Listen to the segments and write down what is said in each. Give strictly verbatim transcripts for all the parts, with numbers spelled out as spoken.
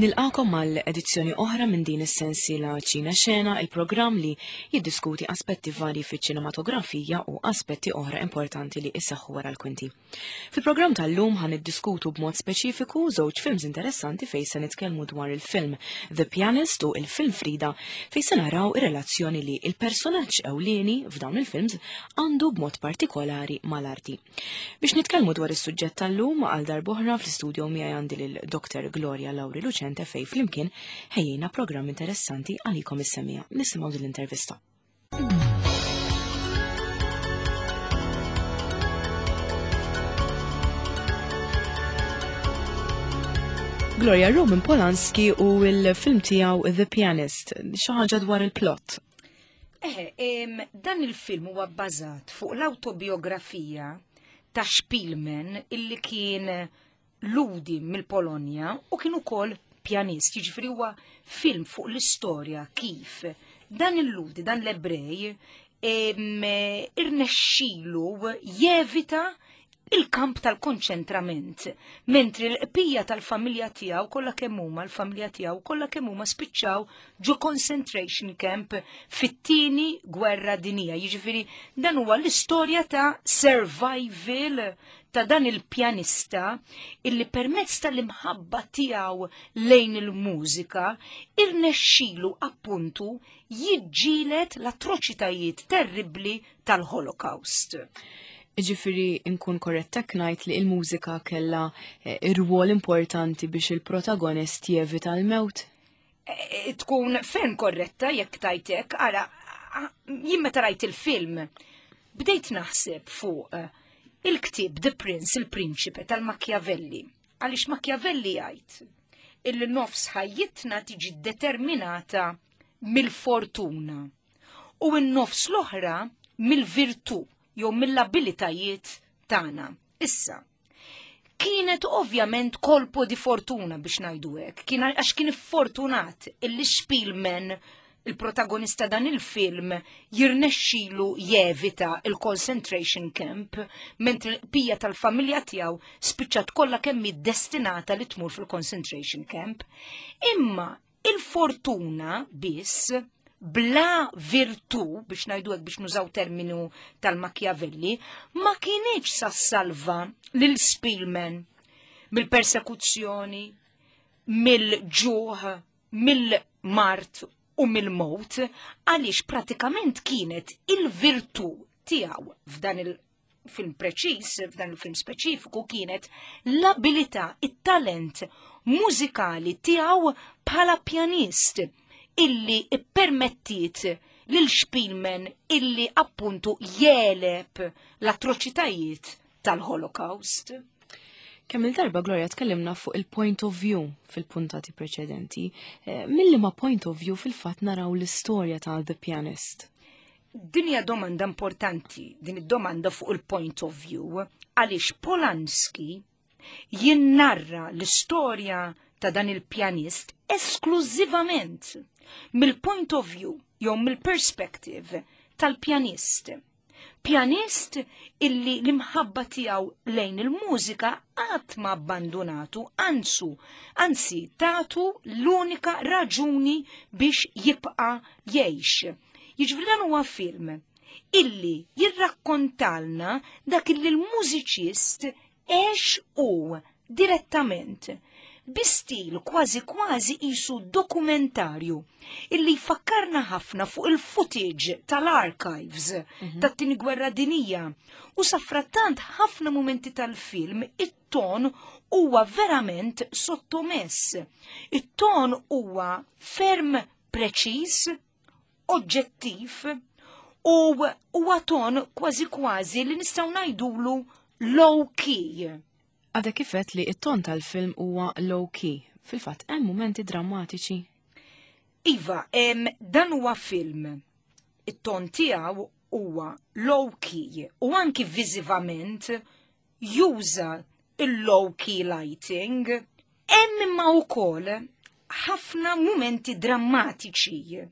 Nilqagħkom għal edizzjoni oħra minn din is-sensiela Ċina Xena, il-programm li jiddiskuti aspetti varji fiċ-ċinematografija u aspetti oħra importanti li isseħħu wara l-kwinti. Fil-programm tal-lum ħa niddiskutu b'mod speċifiku żewġ films interessanti fejn se nitkellmu dwar il-film The Pianist u il-film Frida, fejn se naraw ir-relazzjoni li il-personaġġ ewlieni f'dawn il-films għandu b'mod partikolari mal-arti. Biex nitkellmu dwar is-suġġett tal-lum, għal darb'oħra fl-istudio miegħi għandi lil Doktor Gloria Lauri Lucente, fejn flimkien ħejjejna programm interessanti għalikom is-semmiegħa. Nisimgħu din l-intervista. Gloria, Roman Polanski u il-film tiegħu The Pianist, xi ħaġa dwar il-plot. Eħe, em, dan il-film huwa bbażat fuq l-autobiografija ta' Spielman, illi kien Lhudi mill-Polonja u kien ukoll pjanist. Jiġifieri huwa film fuq l-istorja kif dan il-Lhudi, dan l-Ebrej, em, irnexxilu jevita il-kamp tal-konċentrament, mentri l-qpija tal-familja tiegħu kollha kemm huma, l-familja tiegħu kollha kemm huma spiċċaw ġo concentration camp fit-tieni gwerra dinija. Jiġifieri dan huwa l-istorja ta' survival ta' dan il-pjanista illi permezz tal-imħabba tiegħu lejn il-mużika irnexxilu appuntu jiġġieled l-atroċitajiet terribbli tal-Holocaust. Ġifieri nkun korretta ngħid li il-mużika kella eh, ir-rwol importanti biex il-protagonist jevita l-mewt? Eh, eh, tkun ferm korretta jekk tajtek. Ara, jien meta rajt il-film, bdejt naħseb fuq il-ktib The Prince, il-Prinċipe tal-Machiavelli. Għaliex Machiavelli jgħid illi nofs ħajjitna tiġi determinata mill-fortuna u n-nofs l-oħra mill-virtù jew mill-abilitajiet tagħna. Issa, kienet ovvjament colpo di fortuna biex ngħidu hekk, kien għax kien fortunat illi Spielman, il-protagonista dan il-film, jirnexxilu jevita il-concentration camp, mentri l-bqija tal-familja tiegħu spiċċat kollha kemm destinata li tmur fil-concentration camp. Imma il-fortuna biss bla virtù, biex ngħidu hekk, biex nużaw terminu tal-Machiavelli, ma kinitx sa salva lil Spielman mill-persekuzzjoni, mill-ġuħ, mill-mard u mill-mowt, għaliex pratikament kienet il-virtù tiegħu f'dan il-film preċis, f'dan il-film speċifiku, kienet l-abilità, it-talent mużikali tiegħu bħala pjanist illi ippermettiet lil Spielman illi appuntu jegħleb l-atroċitajiet tal-Holocaust. Kemm il-darba, Gloria, tkellimna fuq il-point of view fil-puntati preċedenti. Eh, Milli ma point of view fil-fatt naraw l-istorja ta' The Pianist? Din hija domanda importanti, din id-domanda fuq il-point of view, għaliex Polanski jinnarra l-istorja ta' dan il-pjanist esklużivament mill-point of view jew mill-perspective tal-pjanist. Pjanist illi l-imħabba tiegħu lejn il-mużika qatt ma abbandonatu, anzu, anzi tatu l-unika raġuni biex jibqa' jgħix. Jiġifieri dan huwa film illi jirrakkontalna dak illi l-mużiċist għex u direttament, bi stil kważi kważi qisu dokumentarju illi jfakkarna ħafna fuq il-footage tal-archives mm -hmm. tat-tieni gwerra dinija. U safrattant ħafna momenti tal-film it-ton huwa verament sottomess. It-ton huwa ferm preċiż, oġġettiv u huwa ton kważi kważi li nistgħu ngħidulu low key. Għadha kif għedt li it-ton tal-film huwa low key. Fil-fatt hemm momenti drammatiċi. Iva, em, dan huwa film. It-ton tiegħu huwa low key u anki viżivament juża il-low key lighting. Hemm imma wkoll ħafna momenti drammatiċi.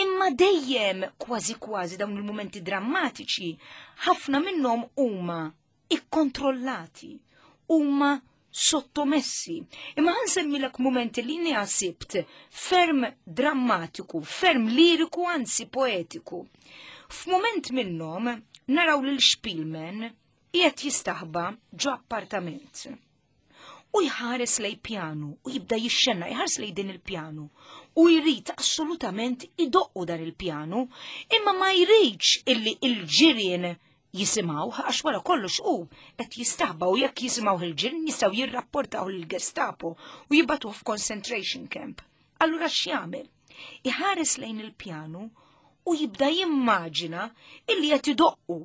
Imma dejjem kważi kważi dawn il-momenti drammatiċi ħafna minnhom huma ikkontrollati, huma Sottomessi. Imma ħa nsemmilek momenti li sibt ferm drammatiku, ferm liriku, anzi poetiku. F'mument minnhom naraw lil Szpilman qiegħed jistaħba ġo appartament. U jħares lejn pjanu u jibda jixxenna, jħares lejn din il-pjanu u jrid assolutament idoqqu dan il-pjanu, imma ma jridx illi il-ġirien jisimgħu, għax wara kollox u qed jistaħba u jekk jisimgħu il-ġirien jistgħu jirrapportaw lill-Gestapo u jibagħtuh f'concentration camp. Allura x'jagħmel? Iħares lejn il-pjanu u jibda jimmaġina illi qed idoqqu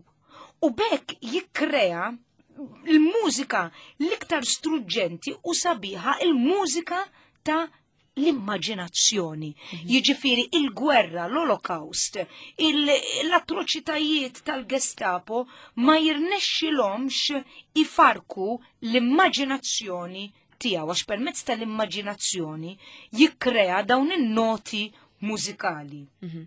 u b'hekk jikkrea l-mużika l-iktar struġġenti u sabiħa, il-mużika ta' l-immaġinazzjoni. Mhm. Jiġifieri il-gwerra, l-Holocaust, l-atroċitajiet tal-Gestapo ma jirnexxilhomx ifarku l-immaġinazzjoni tiegħu, għax permezz tal-immaġinazzjoni jikkrea dawn in-noti mużikali. Mhm.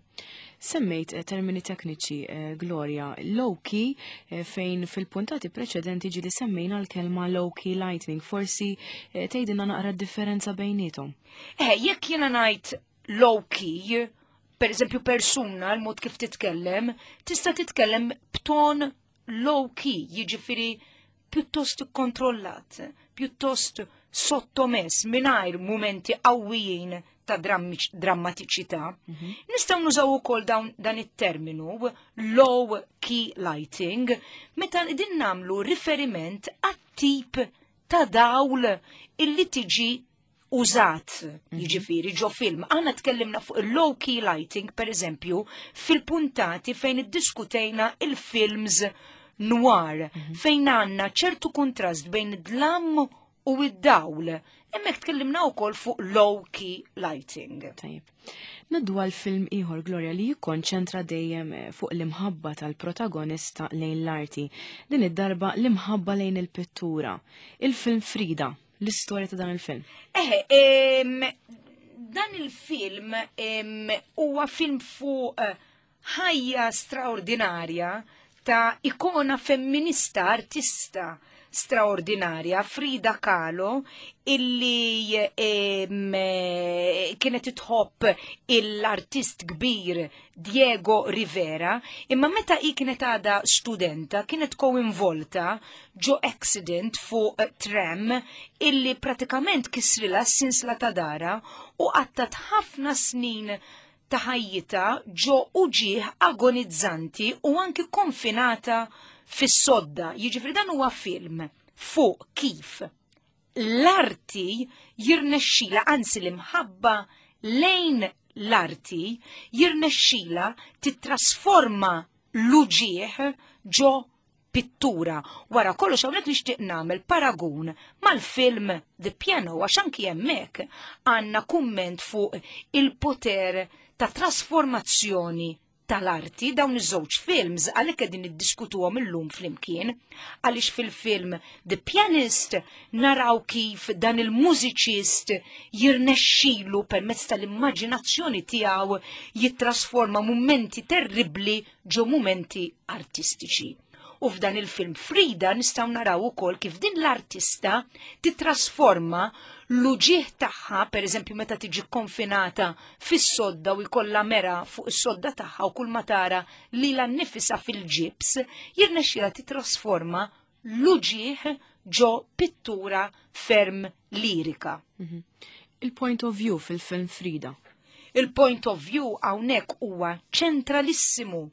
Semmejt eh, termini tekniċi, eh, Gloria, low-key, eh, fejn fil-puntati preċedenti ġieli semmejna l-kelma low-key lighting, forsi tgħidilna naqra differenza bejnietom. Eh, jekk jiena ngħid low-key, per eżempju persuna, l-mod kif titkellem, tista' titkellem b'ton low-key, jiġifieri pjuttost kontrollat, pjuttost sottomess, mingħajr mumenti qawwijin ta' drammatiċità. Mhm. Nistgħu nużaw ukoll dan it-terminu low key lighting meta din nagħmlu riferiment għat-tip ta' dawl illi tiġi użat, mhm. jiġifieri ġo film. Aħna tkellimna fuq il-low key lighting, per eżempju, fil-puntati fejn iddiskutejna il-films noir, mhm. fejn għandna ċertu kontrast bejn id-dlam u id-dawl. Hemmhekk tkellimna wkoll fuq low key lighting. Tajjeb. Ngħaddu għal film ieħor, Gloria, li jikkonċentra dejjem eh, fuq l-imħabba tal-protagonista lejn l-arti. Din id-darba l-imħabba lejn il-pittura. Il-film Frida, l-istorja ta' dan il-film. Eħe, dan il-film huwa film fuq eh, ħajja straordinarja ta' ikona femminista, artista straordinarja, Frida Kahlo, illi em, kienet tħobb l-artist kbir Diego Rivera, imma meta hi kienet għada studenta, kienet koinvolta ġo accident fuq tram illi pratikament kisrilha s-sinsla ta' daharha u qattat ħafna snin ta' ħajjita ġo uġieħ agonizzanti u anki konfinata fis-sodda. Jiġifieri dan huwa film fuq kif l-arti jirnexxila, anzi l-imħabba lejn l-arti jirnexxila titrasforma l-uġieħ ġo pittura. Wara kollox hawnhekk nixtieq nagħmel paragun mal-film The Piano, għax anki hemmhekk għandna kumment fuq il-poter ta' trasformazzjoni tal-arti. Dawn iż-żewġ films għalhekk qegħdin niddiskutuhom illum flimkien, għaliex fil-film The Pianist naraw kif dan il-mużiċist jirnexxilu permezz tal-immaġinazzjoni tiegħu jittrasforma mumenti terribbli ġo mumenti artistiċi. U f'dan il-film Frida nistgħu naraw ukoll kif din l-artista titrasforma l-uġieħ tagħha, pereżempju meta tiġi konfinata fis-sodda u jkollha mera fuq is-sodda tagħha u kull ma tara lilha nnifisha fil-ġibs, jirnexxilha titrasforma l-uġieħ ġo pittura ferm lirika. Mhm. Il-point of view fil-film Frida. Il-point of view hawnhekk huwa ċentralissimu.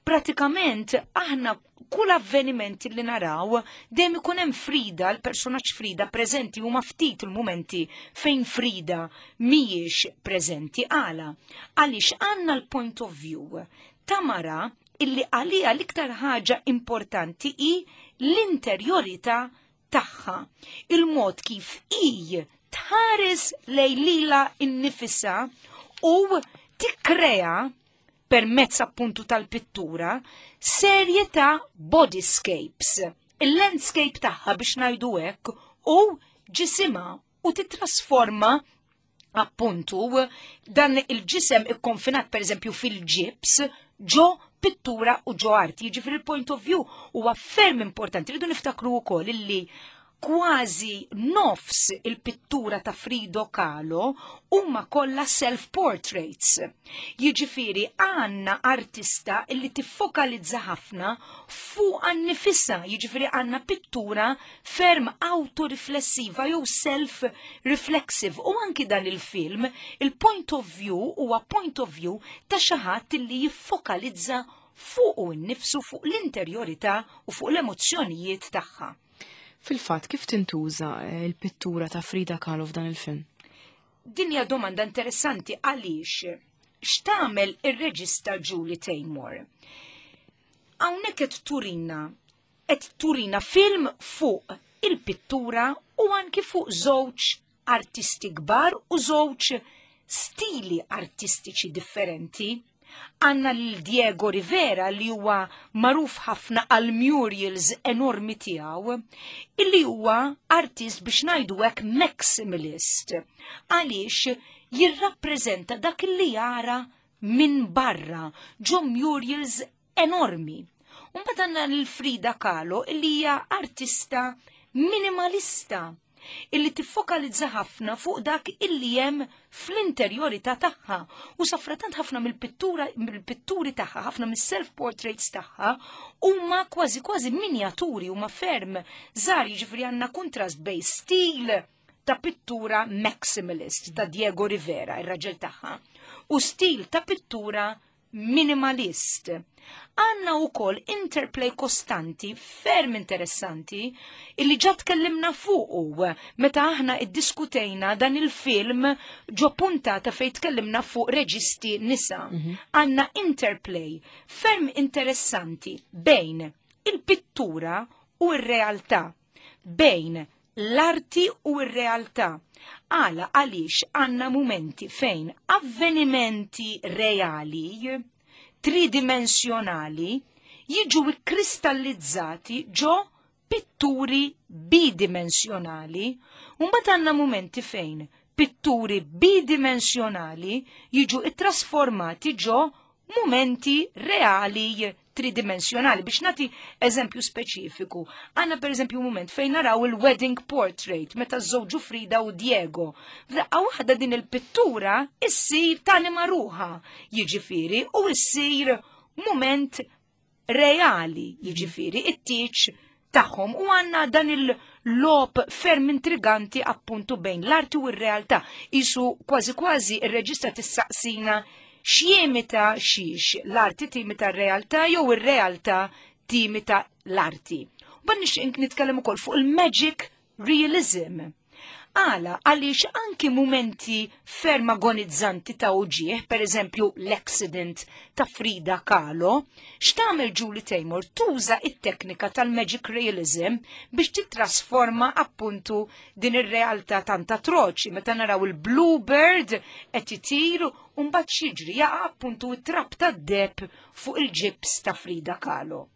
Pratikament aħna kull avveniment li naraw dejjem ikun hemm Frida, l-personaġġ Frida preżenti, huma ftit il-mumenti fejn Frida mhijiex preżenti. Għala? Għaliex għandna l-point of view ta' mara illi għalija l-iktar ħaġa importanti hi l-interjorità tagħha. Il-mod kif hi tħares lejn lilha nnifisha u tikkrea permezz appuntu tal-pittura serje ta' bodyscapes. Il-landscape tagħha, biex ngħidu hekk, u ġisimha, u titrasforma appuntu dan il-ġisem ikkonfinat, per eżempju, fil-ġibs ġo pittura u ġo arti. Jiġifieri il-point of view huwa ferm importanti. Rridu niftakru wkoll illi Kważi nofs il-pittura ta' Frida Kahlo huma kollha self-portraits. Jiġifieri għandna artista illi tiffokalizza ħafna fuq nifisha, jiġifieri għandna pittura ferm autoriflessiva jew self-reflexive. U anki dan il-film, il-point of view huwa point of view ta' xi ħadd illi jiffokalizza fuq innifsu, fuq l-interjorità u fuq l-emozzjonijiet tagħha. Fil-fatt, kif tintuża eh, il-pittura ta' Frida Kahlo f'dan il-film? Din hija domanda interessanti għaliex x'tagħmel ir-reġista Julie Taymor? Hawnhekk qed turina qed turina film fuq il-pittura u anki fuq żewġ artisti kbar u żewġ stili artistiċi differenti. Għandna l-Diego Rivera li huwa magħruf ħafna għal murals enormi tiegħu, illi huwa artist, biex ngħidu hekk, maximalist. Għaliex jirrappreżenta dak li jara minn barra ġo murals enormi. Mbagħad għandna l-Frida Kahlo, illi hija artista minimalista illi tiffokalizza ħafna fuq dak illi hemm fl-interjorità tagħha u safratant ħafna mill-pittura mill-pitturi tagħha, ħafna mis-self portraits tagħha huma kważi kważi minjaturi, huma ferm żgħar, jiġifieri għandna kontrast bejn stil ta' pittura maximalist ta' Diego Rivera, ir-raġel tagħha, u stil ta' pittura minimalist. Għandna ukoll interplay kostanti ferm interessanti illi ġa tkellimna fuqu meta aħna iddiskutejna dan il-film ġo puntata fejn tkellimna fuq reġisti nisa. Għandna interplay ferm interessanti bejn il-pittura u r-realtà, bejn l-arti u r-realtà. Għala għaliex għandna momenti fejn avvenimenti reali, tridimensjonali, jiġu kristallizzati ġo pitturi bidimensjonali, u mbagħad għandna momenti fejn pitturi bidimensjonali jiġu ittrasformati ġo momenti reali tridimensjonali. Biex nagħti eżempju speċifiku, għandna per eżempju moment fejn naraw il-wedding portrait meta żżewġu Frida u Diego. F'daqqa waħda din il-pittura issir tanima ruħha, jiġifieri, u issir moment reali, jiġifieri, it-tieġ tagħhom, u għandna dan il-logħob ferm intriganti appuntu bejn l-arti u r-realtà. Isu kważi kważi ir-reġista tissaqsina x'jimita xiex, l-arti timita r-realtà jew ir-realtà timita l-arti. U nixtieq nitkellem ukoll fuq il-magic realism. Għala, għaliex anki momenti ferm agonizzanti ta' uġieħ, per eżempju l-accident ta' Frida Kahlo, x'tagħmel Julie Taymor? Tuża it-teknika tal-magic realism biex titrasforma appuntu din ir-realtà tant atroċi. Meta naraw il-Bluebird qed itir u mbagħad x'jiġri? Jaqa' appuntu it-trab tad-deheb fuq il-ġibs ta' Frida Kahlo.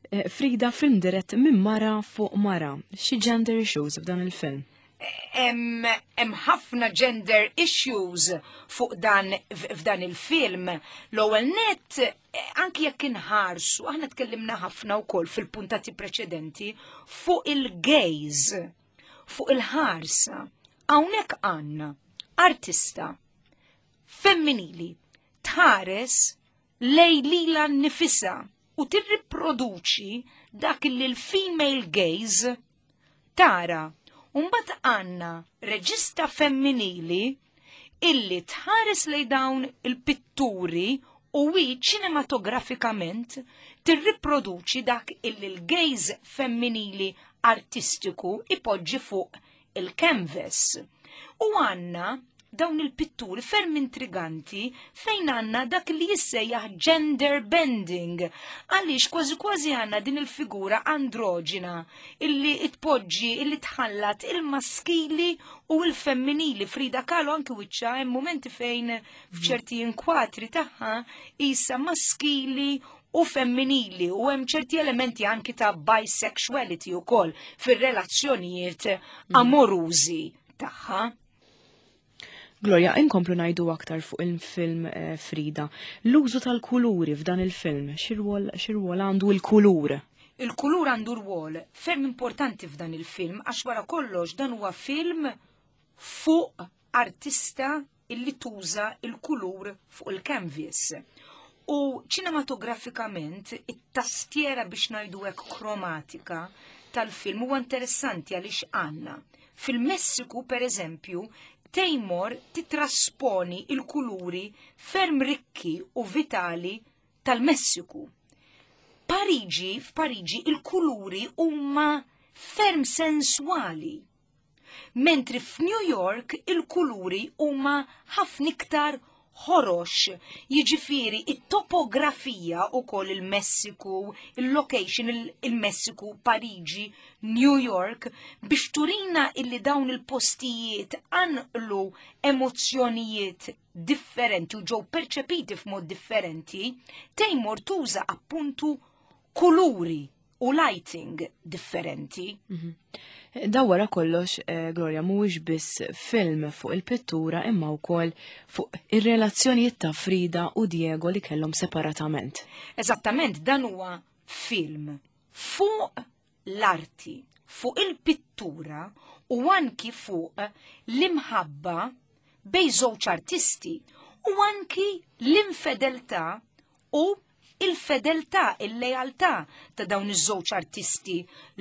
Eh, Frida, film dirett minn mara fuq mara. Xi gender issues f'dan il-film? Hemm ħafna gender issues fuq dan f'dan il-film. L-ewwel net, eh, anki jekk inħarsu, aħna tkellimna ħafna wkoll fil-puntati preċedenti fuq il-gaze, fuq il-ħarsa. Hawnhekk għandna artista femminili tħares lej lila nifisha u tirriproduċi dak li l-female gaze tara. Umbat għandna reġista femminili illi tħares lej dawn il-pitturi u hi ċinematografikament tirriproduċi dak illi l-gaze femminili artistiku ipoġġi fuq il-canvas. U għandna dawn il-pitturi ferm intriganti fejn għandna dak li jissejjaħ gender bending. Għaliex kważi kważi għandna din il-figura androġina illi tpoġġi, illi tħallat il-maskili u il-femminili. Frida Kahlo anki wiċċha hemm momenti fejn f'ċerti inkwatri tagħha isa maskili u femminili u hemm ċerti elementi anki ta' bisexuality ukoll fir-relazzjonijiet amorużi tagħha. Gloria, inkomplu ngħidu aktar fuq il-film eh, Frida. L-użu tal-kuluri f'dan il-film, x'irwol għandu l-kulur? Il-kulur għandu rwol ferm importanti f'dan il-film għax wara kollox dan huwa film fuq artista illi tuża il-kulur fuq il-canvas. U ċinematografikament it-tastiera, biex ngħidu hekk, kromatika tal-film huwa interessanti għaliex għandna. Fil-Messiku, per eżempju, Taymor titrasponi il-kuluri ferm rikki u vitali tal-Messiku. Pariġi, f'Pariġi il-kuluri huma ferm sensuali. Mentri f'New York il-kuluri huma ħafna iktar ħorox, jiġifieri it-topografija u koll il-Messiku, il-location il-Messiku, Pariġi, New York, biex turina illi dawn il-postijiet għanqlu emozzjonijiet differenti u ġew perċepiti f'mod differenti, Taymor tuża appuntu kuluri u lighting differenti. Mhm. Da wara kollox, eh, Gloria, mhuwiex biss film fuq il-pittura imma wkoll fuq ir-relazzjonijiet ta' Frida u Diego li kellhom separatament. Eżattament, dan huwa film fuq l-arti, fuq il-pittura u anki fuq l-imħabba bejn żewġ artisti u anki l-infedeltà u il-fedeltà, il-lealtà ta' dawn iż-żewġ artisti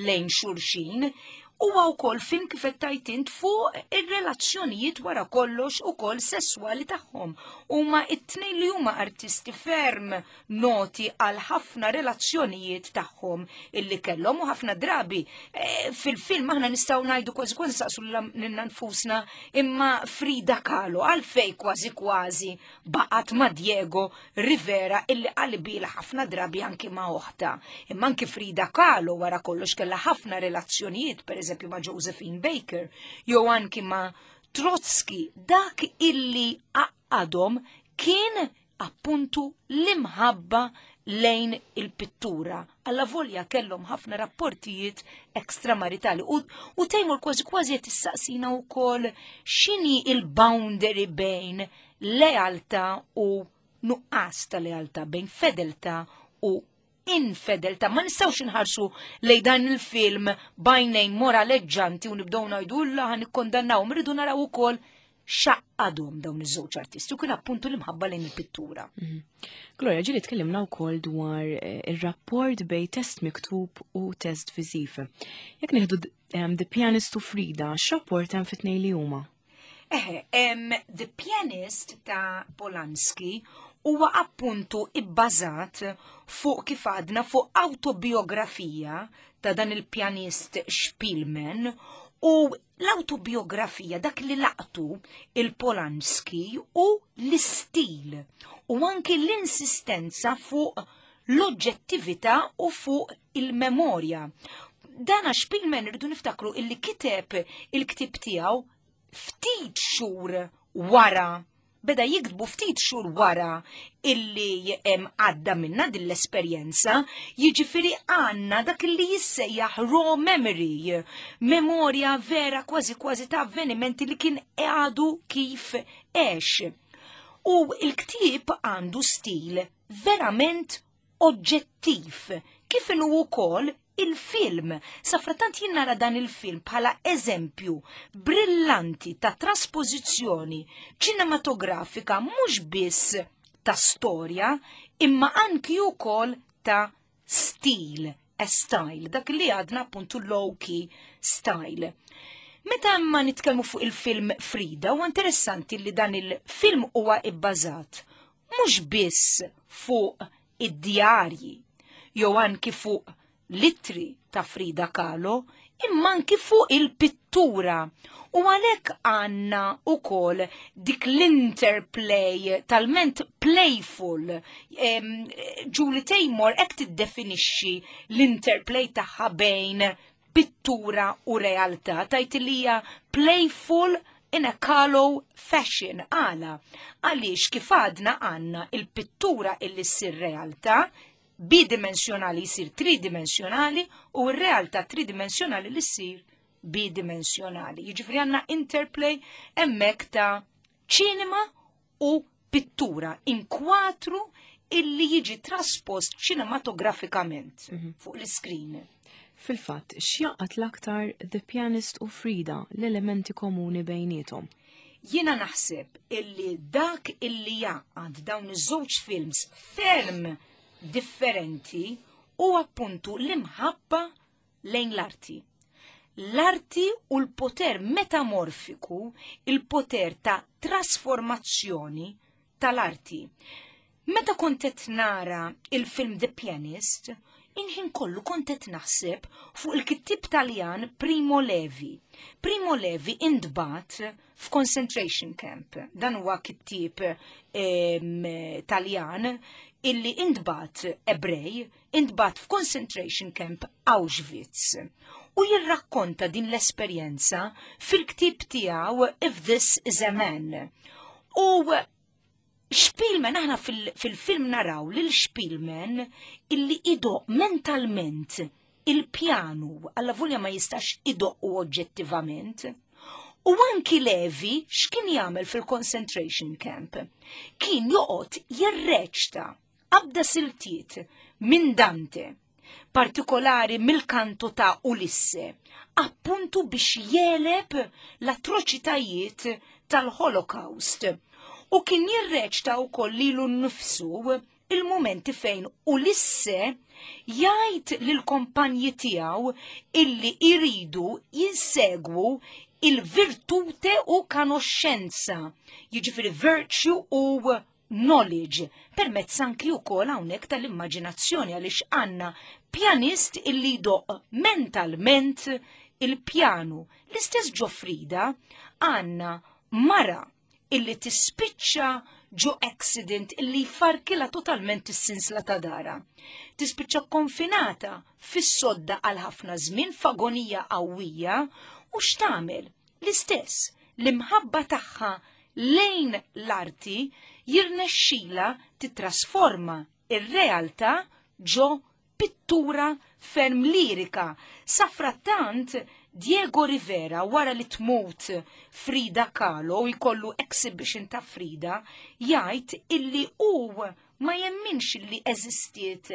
lejn xulxin. Huwa wkoll film, kif qed int, fuq ir-relazzjonijiet wara kollox ukoll sesswali tagħhom. Huma it-tnejn li huma artisti ferm noti għal ħafna relazzjonijiet tagħhom illi kellhom u ħafna drabi e, fil-film aħna nistgħu ngħidu, kważi kważi saqsu lilna nfusna, imma Frida Kahlo għalfej kważi kważi baqgħet ma' Diego Rivera illi qalbilha ħafna drabi anki ma' oħta? Imma anki Frida Kahlo wara kollox kellha ħafna relazzjonijiet, per eżempju ma' Josephine Baker, jew anki ma' Trotsky. Dak illi għaqqadhom kien appuntu l-imħabba lejn il-pittura. Alla volja kellhom ħafna rapportijiet ekstramaritali. U, u Taymor kważi kważi qed issaqsina wkoll x'inhi il-boundary bejn lealtà u nuqqas ta' lealtà, bejn fedeltà u infedeltà. Ma nistgħux inħarsu lejn dan il-film b'għajnejn moraleġġanti u nibdew ngħidu lla ħa nikkondannaw, rridu naraw ukoll x'għaqqadhom dawn iż-żewġ artisti u kien appuntu l-imħabba lejn il-pittura. Mhm. Gloria, ġieli tkellimna wkoll dwar eh, ir-rapport bejn test miktub u test viżiv. Jekk nieħdu The Pianist u Frida, x'rapport hemm fit-tnejn li huma? Eħe, The Pianist ta' Polanski huwa appuntu ibbażat fuq, kif għadna, fuq autobiografija ta' dan il-pjanist Spielman u l-autobiografija, dak li laqtu il-Polanski u l-istil u anki l-insistenza fuq l-oġġettività u fuq il-memorja. Dana Spielman rridu niftakru illi kiteb il-ktib tiegħu ftit xhur wara, beda jiktbu ftit xhur wara illi għadda minna din l-esperjenza, jiġifieri għandna dak li jissejjaħ raw memory, memorja vera kważi kważi ta' avvenimenti li kien għadu kif għex. U il-ktib għandu stil verament oġġettiv, kif inhu wkoll il-film. Safratant jien nara dan il-film bħala eżempju brillanti ta' traspożizzjoni ċinematografika mhux biss ta' storja imma anki wkoll ta' stil, a style, dak li għadna appuntu low-key style. Meta ma nitkellmu fuq il-film Frida, huwa interessanti li dan il-film huwa ibbażat mhux biss fuq id-djarji jew anki fuq l-ittri ta' Frida Kahlo, imma anki fuq il-pittura. U għalhekk għandna ukoll dik l-interplay talment playful. Julie Taymor hekk tiddefinixxi l-interplay tagħha bejn pittura u realtà. Tgħid li hija playful in a Kahlo fashion. Għala? Għaliex, kif għadna, għandna il-pittura illi ssir realtà, bidimensjonali jsir tridimensjonali u r-realtà tridimensjonali li ssir bidimensjonali. Jiġifieri għandna interplay hemmhekk ta' ċinema u pittura, inkwatru illi jiġi traspost ċinematografikament mm -hmm. fuq l-iskrin. Fil-fatt, x'jaqgħad l-aktar The Pianist u Frida, l-elementi komuni bejniethom? Jiena naħseb illi dak illi jaqgħad dawn iż-żewġ films ferm differenti u appuntu l-imħabba lejn l-arti. L-arti u l-poter metamorfiku, il-poter ta' trasformazzjoni tal-arti. Meta kont qed nara il-film The Pianist, inħin kollu kont qed naħseb fuq il-kittib Taljan Primo Levi. Primo Levi intbagħat f'concentration camp. Dan huwa kittib Taljan illi intbagħat Ebrej, intbagħat f'concentration camp Auschwitz. U jirrakkonta din l-esperjenza fil-ktib tiegħu If This Is a Man. U Spielman, aħna fil-film naraw lil Spielman illi idoqq mentalment il-pjanu, allavolja ma jistax idoqqu oġġettivament. U anki Levi x'kien jagħmel fil-concentration camp? Kien joqgħod jirreċta qabda siltiet minn Dante, partikolari mill-kanto ta' Ulisse, appuntu biex jegħleb l-atroċitajiet tal-Holocaust. U kien jirreċta wkoll lilu nnifsu il-momenti fejn Ulisse jgħid lill-kompanji tiegħu illi iridu jinsegwu il-virtute u kanoxxenza, jiġifieri virtue u knowledge, permezz anki wkoll hawnhekk tal-immaġinazzjoni, għaliex għandna pjanist illi jdoqq mentalment il-pjanu. L-istess ġo Frida għandna mara illi tispiċċa ġo accident illi jfarkilha totalment is-sinsla ta' dara. Tispiċċa konfinata fis-sodda għal ħafna żmien, f'agonija qawwija, u x'tagħmel? L-istess, l-imħabba tagħha lejn l-arti jirnexxila titrasforma ir-realtà ġo pittura ferm lirika. Safrattant Diego Rivera, wara li tmut Frida Kahlo u jkollu exhibition ta' Frida, jgħid illi hu ma jemminx illi eżistiet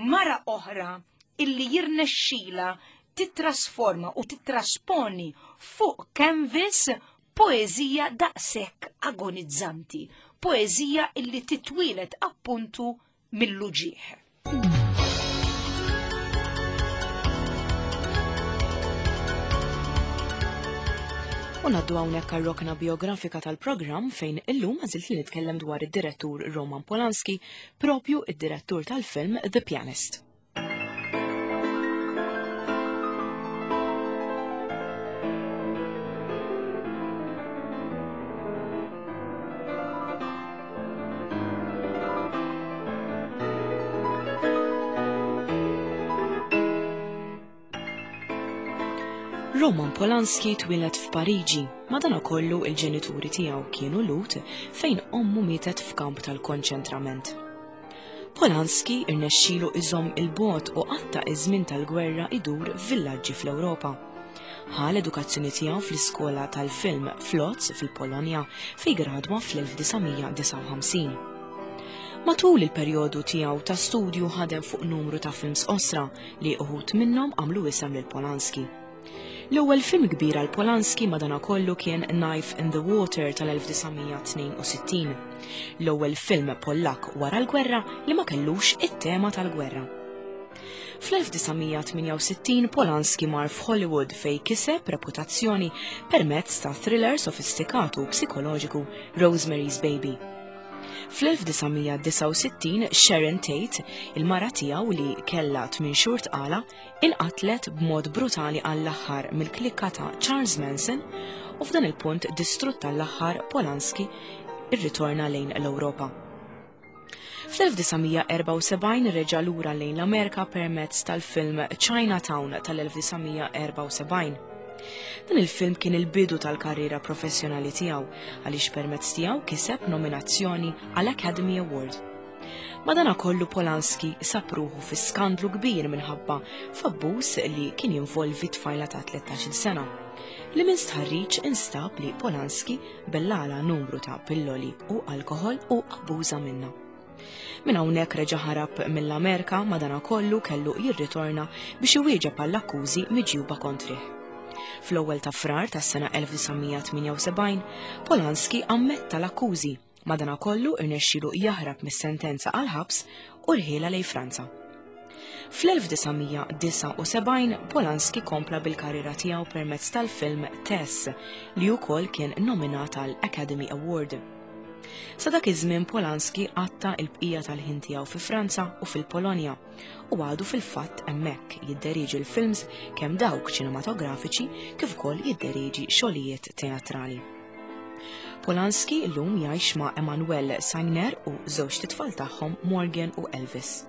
mara oħra illi jirnexxila titrasforma u titrasponi fuq canvas poeżija daqshekk agonizzanti, poeżija illi titwieled appuntu mill-uġieħ. U ngħaddu hawnhekk għar-rokna biografika tal-programm, fejn illum għażilt li nitkellem dwar id-direttur Roman Polanski, propju id-direttur tal-film The Pianist. Roman Polanski twieled f'Pariġi, madanakollu il-ġenituri tiegħu kienu Lhud, fejn ommu mietet f'kamp tal-konċentrament. Polanski irnexxielu iżomm il-bogħod u qatta' iż-żmien tal-gwerra idur f'villaġġi fl-Ewropa. Ħa l-edukazzjoni tiegħu fl-iskola tal-film f'Lodz fil-Polonja, fejn gradwa fl-elf disa' mija disgħa u ħamsin. Matul il-perjodu tiegħu ta' studju ħadem fuq numru ta' films qosra li uħud minnhom għamlu isem lil Polanski. L-ewwel film kbir għal Polanski madanakollu kien Knife in the Water tal-elf disa' mija tnejn u sittin. L-ewwel film Pollak wara l-gwerra li ma kellux it-tema tal-gwerra. Fl-elf disa' mija tmienja u sittin Polanski mar f'Hollywood fej kiseb reputazzjoni permezz ta' thriller sofistikatu u psikoloġiku Rosemary's Baby. Fl-elf disa' mija disgħa u sittin Sharon Tate, il-mara tiegħu li kellha tmien xhur tqala, inqatlet b'mod brutali għall-aħħar mill-klikka ta' Charles Manson, u f'dan il-punt distrutt għall-aħħar Polanski irritorna lejn l-Ewropa. Fl-elf disa' mija erbgħa u sebgħin reġa' lura lejn l-Amerika permezz tal-film Chinatown tal-elf disa' mija erbgħa u sebgħin. Dan il-film kien il-bidu tal-karriera professjonali tiegħu, għaliex permezz tiegħu kiseb nominazzjoni għal Academy Award. Madanakollu Polanski sab ruħu fi skandlu kbir minħabba f'abbuż li kien jinvolvi tfajla ta' tlettax-il sena, li minn stħarriġ instab li Polanski bellala numru ta' pilloli u alkohol u abbuża minnha. Minn hawnhekk reġa' ħarab mill-Amerika, madanakollu kellu jirritorna biex iwieġeb għall-akkużi miġjuba kontrih. Fl-ewwel ta' Frar tas-sena elf disa' mija tmienja u sebgħin, Polanski ammetta l-akkużi, madanakollu irnexxielu jaħrab mis-sentenza għal ħabs u rħielha lejn Franza. Fl-elf disa' mija disgħa u sebgħin Polanski kompla bil-karriera tiegħu permezz tal-film Tess, li wkoll kien nominat għal Academy Award. Sa dak iż-żmien Polanski qatta il-bqija tal-ħin tiegħu fi Franza u fil-Polonja u għadu fil-fatt hemmhekk jidderieġi l-films, kemm dawk ċinematografiċi kif ukoll jidderieġi xogħlijiet teatrali. Polanski llum jgħix ma' Emmanuelle Seigner u żewġt itfal tagħhom, Morgan u Elvis.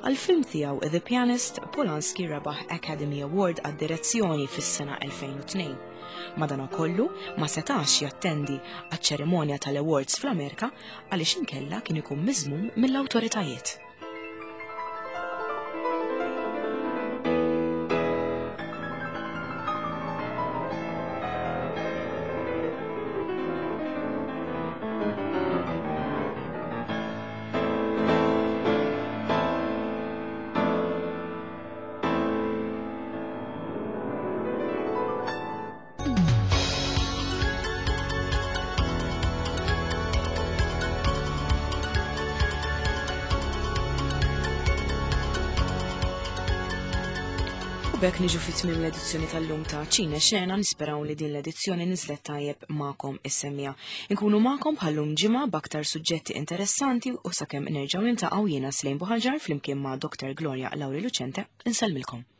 Għal-film tiegħu The Pianist, Polanski rebaħ Academy Award għad-direzzjoni fis-sena elfejn u tnejn. Madanakollu ma setax jattendi għaċ-ċerimonja tal-awards fl-Amerika għaliex inkella kien ikun miżmum mill-awtoritajiet. U b'hekk niġu fi tmiem l-edizzjoni tal-lum ta' Ċine Xena. Nisperaw li din l-edizzjoni niżlet tajjeb magħkom is-semmiegħa. Inkunu magħkom bħallum ġimgħa b'aktar suġġetti interessanti u sakemm nerġgħu niltaqgħu, jiena Slejn Buħalġar flimkien ma' Doktor Gloria Lauri Lucente insellmilkom.